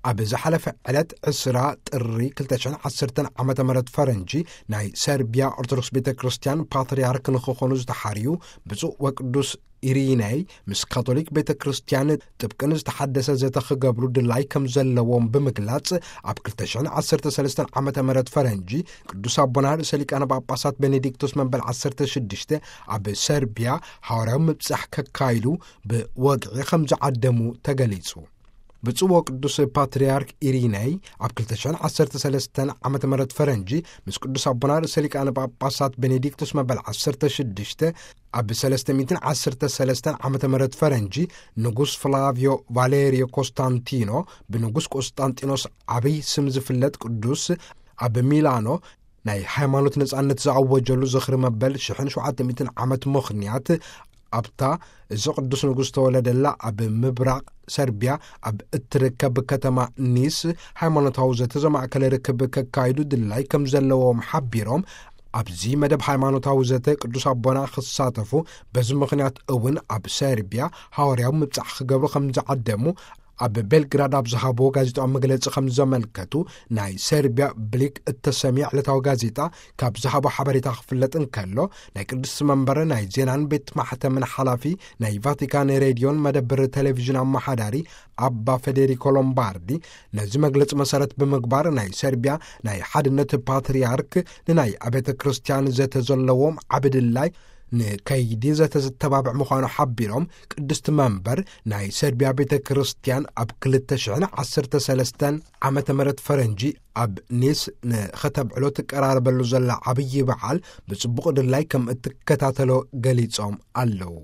ኣብ ዝሓለፈ ዕለት ዕስራ ጥሪ ክልተ ሽሕን ዓሰርተን ዓመተ ምህረት ፈረንጂ፣ ናይ ሰርቢያ ኦርቶዶክስ ቤተ ክርስቲያን ፓትርያርክ ንክኾኑ ዝተሓርዩ ብፁዕ ወቅዱስ ኢሪነይ፣ ምስ ካቶሊክ ቤተ ክርስቲያን ጥብቅን ዝተሓደሰ ዘተ ክገብሩ ድላይ ከም ዘለዎም ብምግላጽ፣ ኣብ ክልተ ሽሕን ዓሰርተ ሰለስተን ዓመተ ምህረት ፈረንጂ ቅዱስ ኣቦና ርእሰ ሊቃነ ጳጳሳት ቤኔዲክቶስ መበል ዓሰርተ ሽዱሽተ ኣብ ሰርቢያ ሃዋርያዊ ምብጻሕ ከካይዱ ብወግዒ ከም ዝዓደሙ ተገሊጹ። ብፁዕ ወቅዱስ ፓትርያርክ ኢሪነይ ኣብ ክልተ ሽሕን ዓሰርተ ሰለስተን ዓመተ ምህረት ፈረንጂ ምስ ቅዱስ ኣቦና ርእሰ ሊቃነ ጳጳሳት ቤኔዲክቶስ መበል ዓሰርተ ሽዱሽተ ኣብ ሰለስተ ሚእትን ዓሰርተ ሰለስተን ዓመተ ምህረት ፈረንጂ ንጉስ ፍላቪዮ ቫሌሪዮ ኮስታንቲኖ፣ ብንጉስ ቆስጣንጢኖስ ዓብይ ስም ዝፍለጥ ቅዱስ፣ ኣብ ሚላኖ ናይ ሃይማኖት ነጻነት ዝኣወጀሉ ዝኽሪ መበል ሽሕን ሸውዓተ ሚእትን ዓመት ምኽንያት፣ ኣብታ እዚ ቅዱስ ንጉስ ተወለደላ ኣብ ምብራቕ ሰርቢያ ኣብ እትርከብ ከተማ ኒስ ሃይማኖታዊ ዘተ ዘማእከለ ርክብ ከካይዱ ድላይ ከም ዘለዎም ሓቢሮም፣ ኣብዚ መደብ ሃይማኖታዊ ዘተ ቅዱስ ኣቦና ክሳተፉ፣ በዚ ምኽንያት እውን ኣብ ሰርቢያ ሃዋርያዊ ምብጻሕ ክገብሩ ከም ዝዓደሙ ኣብ ቤልግራድ ኣብ ዝሃብዎ ጋዜጣዊ መግለጺ ከም ዘመልከቱ፣ ናይ ሰርቢያ ብሊክ እተሰምየ ዕለታዊ ጋዜጣ ካብ ዝሃቦ ሓበሬታ ክፍለጥ እንከሎ፣ ናይ ቅድስቲ መንበር ናይ ዜናን ቤት ማሕተምን ሓላፊ፣ ናይ ቫቲካን ሬድዮን መደብር ቴሌቪዥን ኣመሓዳሪ ኣባ ፌዴሪኮ ሎምባርዲ፣ ነዚ መግለጺ መሰረት ብምግባር፣ ናይ ሰርቢያ ናይ ሓድነት ፓትርያርክ ንናይ ኣቤተ ክርስቲያን ዘተ ዘለዎም ዓቢ ድላይ ንከይዲ ዘተ ዝተባብዕ ምዃኑ ሓቢሮም፣ ቅድስቲ መንበር ናይ ሰርቢያ ቤተ ክርስቲያን ኣብ ክልተ ሽሕን ዓሰርተ ሰለስተን ዓመተ ምህረት ፈረንጂ ኣብ ኒስ ንኸተብዕሎ ትቀራረበሉ ዘላ ዓብዪ በዓል ብጽቡቕ ድላይ ከም እትከታተሎ ገሊጾም ኣለዉ።